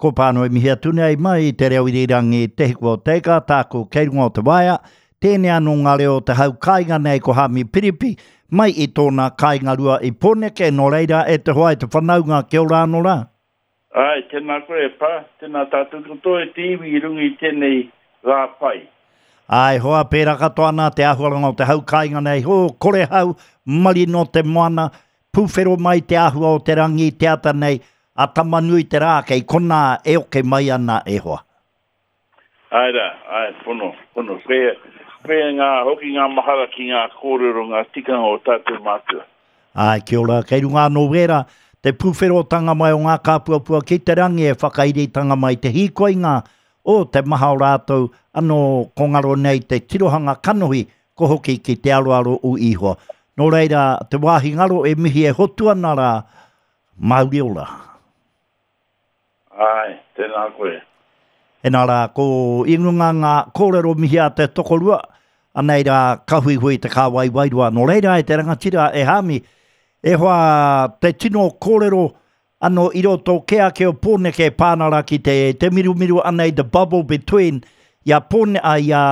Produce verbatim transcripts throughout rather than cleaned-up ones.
Ko Pānui mihi atu nei mai i te reo irirangi Te Hiku o Te Ika, tāku kei runga o te waea, tēnei anō ngā reo o te hau kāinga nei ko Hami Piripi, mai i tōna kāinga rua i Pōneke, nō reira e te hoa e te whanaunga, kia ora anō rā. Āe, tēnā koe e Pā, tēnā tātou katoa e te iwi i runga i tēnei rā pai. Āe hoa, pērā katoa ana te āhuaranga o te hau kāinga nei, hō, kore hau, marino te moana, pūwhero mai te āhua o te rangi i te ata nei, a Tamanui te rā kei konā e oke mai ana e hoa. Āe rā, āe, pono, pono. Koia, koia ngā, hoki ngā mahara ki ngā kōrero, ngā tikanga o tātou mātua. Āe, kia ora, kei runga anō wērā, te pūwherotanga mai o ngā kāpuapua ki te rangi e whakairitanga mai te hīkoinga o te maha o rātou anō ko ngaro nei te tirohanga kanohi ko hoki ki te aroaro o Ihoa. Nō reira, te wāhi ngaro e mihi e hotu ana rā, Māori ora. Āe, tēnā koe. Hena rā, ko i runga ngā kōrero mihi a te tokorua, anei rā, ka huihui te kāwai wairua. Nō reira e te rangatira e Hāmi, e hoa te tino kōrero anō i roto kē ake o Pōneke e pā ana rā ki te, te mirumiru anei the bubble between i a Pōne, a, i a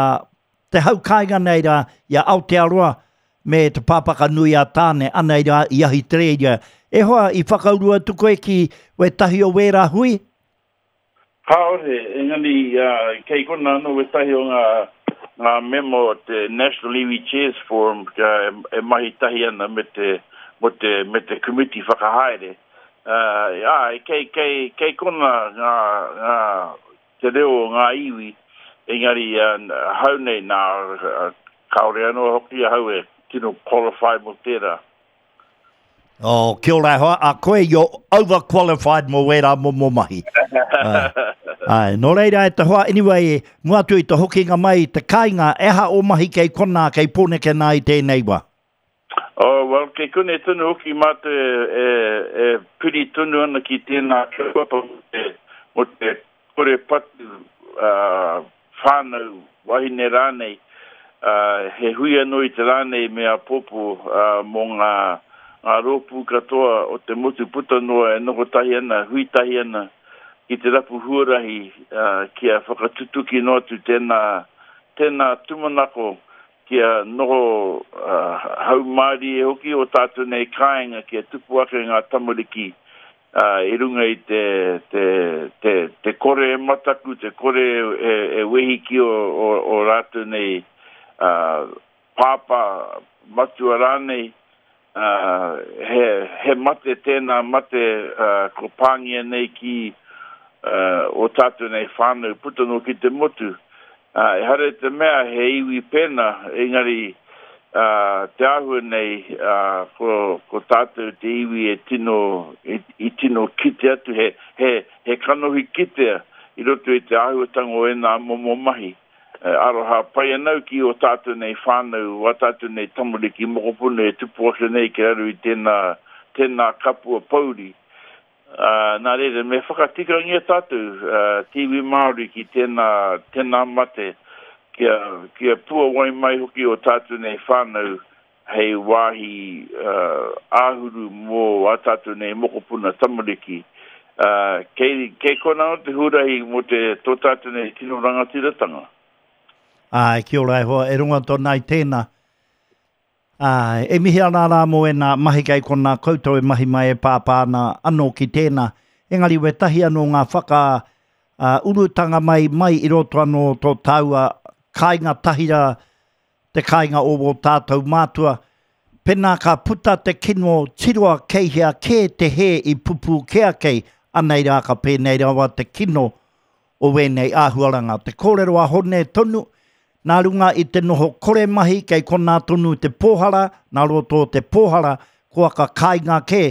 te hau kāinga nei rā, i a Aotearoa me te pāpaka nui a Tāne, anei rā i Ahitereiria. E hoa, i whakauru atu koe ki wētahi o wērā hui? Kāore, engari kei kona anō wētahi o ngā, ngā mema o te National Iwi Chairs Forum e mahi tahi ana me te, mo te, me te komiti whakahaere. Uh, āe, kei, kei, kei kona ngā, ngā, te reo o ngā iwi, engari hau nei nā, kāore anō hoki ahau e tino qualify mō tērā. Oh, kia ora e hoa, a koe you're overqualified mō wērā momo mahi. Ai, nō reira e te hoa, anyway, mua atu i te hokinga mai i te kāinga, e aha o mahi kei konā, kei Pōneke nā i tēnei wā? Oh, well, kei konei tonu hoki mātou e, e, e piri tonu ana ki tēnā kaupapa mō te, mō te kore patu uh, whānau, wahine rānei, uh, he hui anō i te rā nei me āpōpō uh, mō ngā, ngā rōpū katoa o te motu puta noa e noho tahi ana, hui tahi ana ki te rapu huarahi uh, kia whakatutuki noa atu tēnā, tēnā tūmanako kia noho uh, haumārie hoki o tātou nei kāinga kia tupu ake ngā tamariki uh, i runga i te, te, te, te kore e mataku, te kore e, e wehi ki o, o, o rātou nei uh, pāpā matua rānei. Uh, he, he mate tēnā mate uh, ko pāngia nei ki uh, o tātou nei whānau puta noa ki te motu. Uh, ehara i te mea he iwi pēnā, engari uh, te āhua nei uh, ko, ko tātou te iwi e tino, i, i tino kite atu, he, he, he kanohi kitea i roto i te āhuatanga o ēnā momo mahi. Aroha pai ana au ki o tātou nei whānau, wā tātou nei tamariki mokopuna e tupu ake nei ki raro i tēnā, tēnā kapua pouri. Uh, nā reira, me whakatikangia tātou, uh, te iwi Māori ki tēnā, tēnā mate, kia, kia puawai mai hoki o tātou nei whānau hei wāhi uh, āhuru mō ā tātou nei mokopuna tamariki. Uh, kei, kei kona o te huarahi mō te tō tātou nei tino rangatiratanga. Āe, kia ora e hoa, e rongo tōna i tēnā. Āe, e mihi ana rā mō ēnā mahi kei konā koutou e mahi mai e pāpā ana anō ki tēnā. Engari wētahi anō ngā whaka uh, urutanga mai mai i roto anō tō tāua kāinga tahira, te kāinga o wō tātou mātua. Pēnā ka puta te kino tiroa kei hea kē te hē i pupū kē ake, anei rā ka pēnei rawa te kino o wēnei āhuaranga. Te kōrero a Hone tonu, nā runga i te noho kore mahi kei konā tonu te pōhara, nā roto o te pōhara, kua ka kāinga kē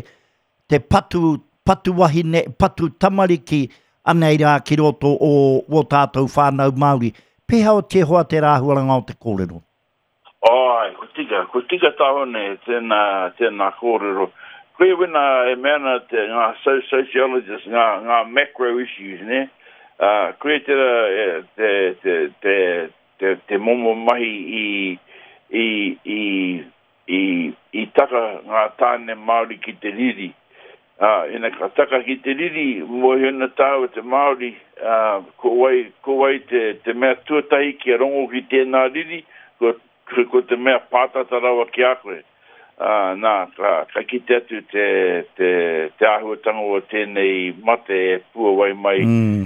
te patu, patu wahine, patu tamariki, anei rā ki roto o wō tātou whānau Māori. Pēhea o te hoa te rāhuaranga o te kōrero? Āe, ko tika, ko tika tā Hone, tēnā, tēnā kōrero. Koia wena e mea ana te, ngā sociologists, ngā, ngā macro issues, ne? Uh, koia tērā e, te, te, te, te, te momo mahi i, i, i, i, i taka ngā tāne Māori ki te riri. Uh, ina ka taka ki te riri, mōhio ana tāua te Māori, uh, ko wai, ko wai te, te mea tuatahi kia rongo ki tēnā riri, ko, ko, ko te mea pātata rawa ki a koe. Uh, nā, ka, ka kite atu te, te, te āhuatanga o tēnei mate e puawai mai Mm.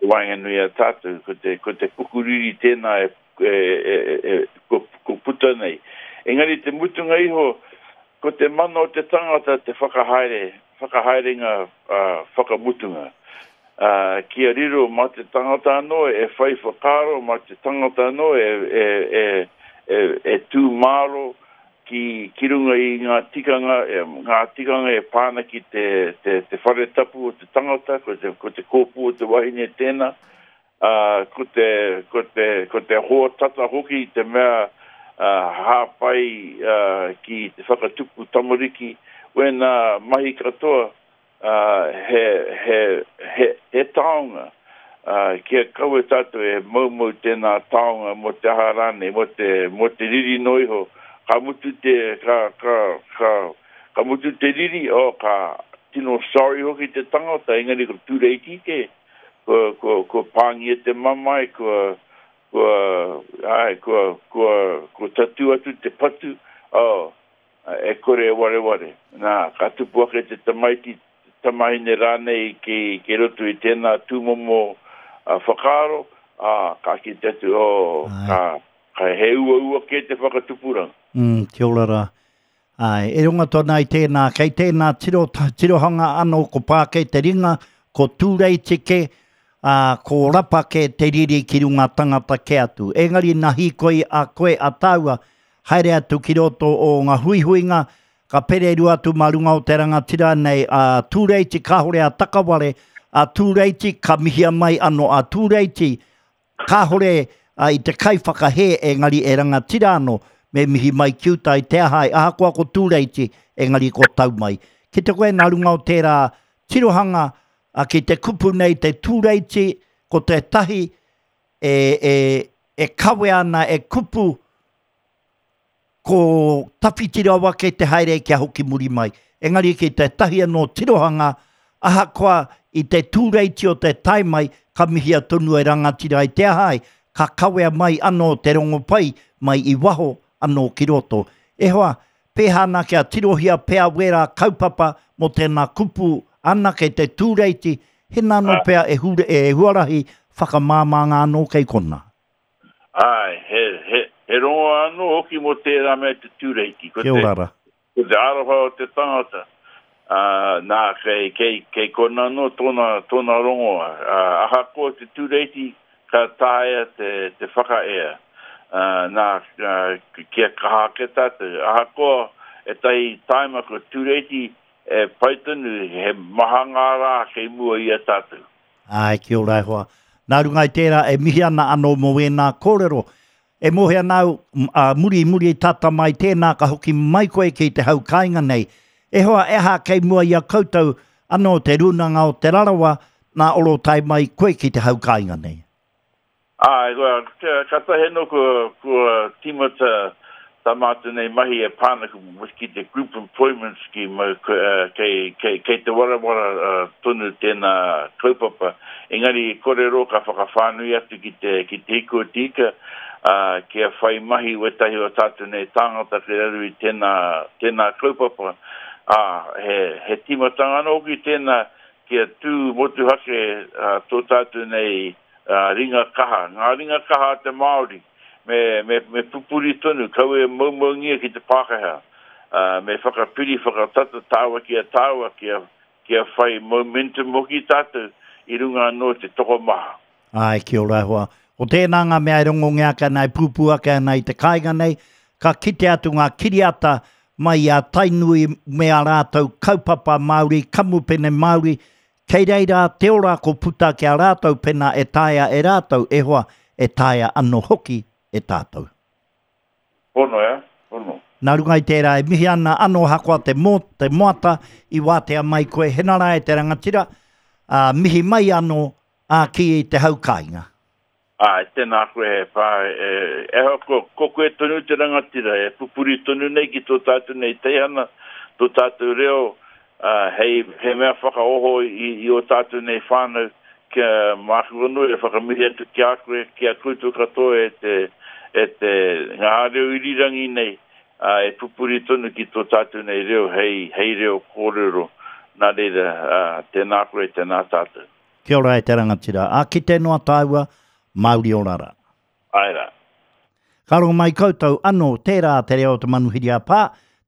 waenganui a tātou, ko te, ko te pukuriri tēnā e, e, e, e, ko, ko puta nei. Engari te mutunga iho, ko te mana o te tangata te whakahaere, whakahaerenga uh, whakamutunga. Uh, kia riro mā te tangata anō e whai whakaaro, mā te tangata anō e, e, e, e, e tū māro ki, ki runga i ngā tikanga, e, ngā tikanga e pāna ki te, te, te whare tapu o te tangata, ko te, ko te kōpū o te wahine tēnā, uh, ko te, ko te, ko te hoa tata hoki te mea uh, hāpai uh, ki te whakatupu tamariki, wēnā mahi katoa uh, he, he, he, he taonga. Uh, kia kaua tātou e maumau tēnā taonga mō te aha rānei, mō te, mō te riri no iho. Ka mutu te, ka, ka, ka, ka mutu te riri, oh, ka tino sorry hoki te tangata, engari ko tūreiti ke, ko, ko, ko pāngia te mamae, ko, ko, ai, ko, ko, ko tatu atu te patu, oh, e kore e wareware. Nā, ka tupu ake te tamaiti, tamahine rānei ki, ki roto i tēnā tūmomo uh, whakaaro, ā, ka kite atu, oh, Ai. ka, ka he uaua ke te whakatupuranga. Mm, kia ora rā. Ai, e runga tōna i tēnā, kei tēnā tiro, tirohanga anō ko Pākē te ringa, ko Tūreiti ke, ā, ko Rapa ke te riri ki runga tangata ke atu. Engari nā hīkoi a koe a tāua, haere atu ki roto o ngā huihuinga, ka pererua atu mā runga o te rangatira nei a Tūreiti, kāhore a Takaware, a Tūreiti, ka mihia mai anō a Tūreiti, kāhore a, i te kaiwhakahē engari e rangatira anō, me mihi mai ki uta i te ahai, ahakoa ko Tūreiti, engari ko tau mai. Ki te koe nā runga o tērā tirohanga, a, ki te kupu nei te Tūreiti, ko te tahi e, e, e kawe ana e kupu, ko tawhiti rawa kei te haere kia hoki muri mai. Engari ki te tahi anō tirohanga, ahakoa i te Tūreiti o te tae mai, ka mihia tonu e rangatira i te ahai, ka kawea mai anō te rongopai mai i waho anō ki roto. E hoa, pēhana kia tirohia pea wērā kaupapa mō tēnā kupu anake te Tūreiti, hena anō pea e, hure, e huarahi whakamāmā anō kei kona. Ai, he, he, he rongo anō hoki mō tērā mea te Tūreiti. Ko Kia te, ora rā. ko te aroha o te tangata, uh, nā, kei, kei, kei kona anō tōna, tōna rongoa. Uh, ahakoa te Tūreiti, ka taea te, te whakaea. Uh, nā, uh, kia kaha ake tātou. Ahakoa e tai taima ko Tūreiti, e pai tonu, he maha ngā rā kei mua i a tātou. Ai, kia ora e hoa. Nā runga i tērā e mihi ana anō mō wēnā kōrero. E mōhio ana au, m-, a, muri muri tata mai tēnā ka hoki mai koe ki te hau kāinga nei. E hoa, e aha kei mua i a koutou anō te rūnanga o Te Rarawa, nā oro tae mai koe ki te hau kāinga nei. Ai, kua, ka, ka tahe no kua, kua tīmata tā mātou nei mahi e pāna ki te Group Employment Scheme, eh, kei, kei, kei te warawara uh, tonu tēnā kaupapa. Engari kore rō ka whakawhānui atu ki te, ki te hiku o te ika, uh, kia whai mahi wetahi o tātou nei tāngata ki raru i tēnā, tēnā kaupapa. Ah, he, he tīmatanga anō hoki tēnā kia tū motuhake uh, tō tātou nei uh, ringa kaha. Ngā ringa kaha a te Māori, me, me, me pupuri tonu, kaua e maumaungia ki te Pākehā. Uh, me whakapiri, whakatata tāua ki a tāua, kia, kia whai momentum hoki tātou i runga anō te tokomaha. Ai, kia ora e hoa. O tēnā ngā mea e rongongia ake ana, e pūpū ake ana i te kāinga nei, ka kite atu ngā kiriata mai i a Tainui me a rātou kaupapa Māori, kamupene Māori, kei reira te ora ko puta ki a rātou pena e taea e rātou, e hoa, e taea anō hoki e tātou. Pono, e? Pono. Nā runga i tērā e mihi ana anō hakoa te, mō, te moata i wātea mai koe henara e te rangatira, ā, mihi mai anō ā, ki te hau kāinga. Ai, tēnā koe e pā, e, e hoa, ko, ko koe tonu te rangatira, e pupuri tonu nei ki tō tātou nei teihana, tō tātou reo, uh, hei, he mea whakaoho i, i o tātou nei whānau, kia māku anō e whakamihi atu ki a koe, ki a koutou katoa e te, e te ngā reo irirangi nei, uh, e pupuri tonu ki tō tātou nei reo, hei, hei reo kōrero. Nā reira, uh, tēnā koe, tēnā tātou. Kia ora e te rangatira. A ki te noa tāua, Māori ora rā. Ai rā. Ka rongo mai koutou anō, tērā te reo o te manuhiri a Pā,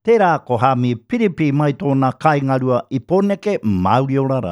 tērā ko Hami Piripi mai tōna kāinga rua i Pōneke, Māori ora rā.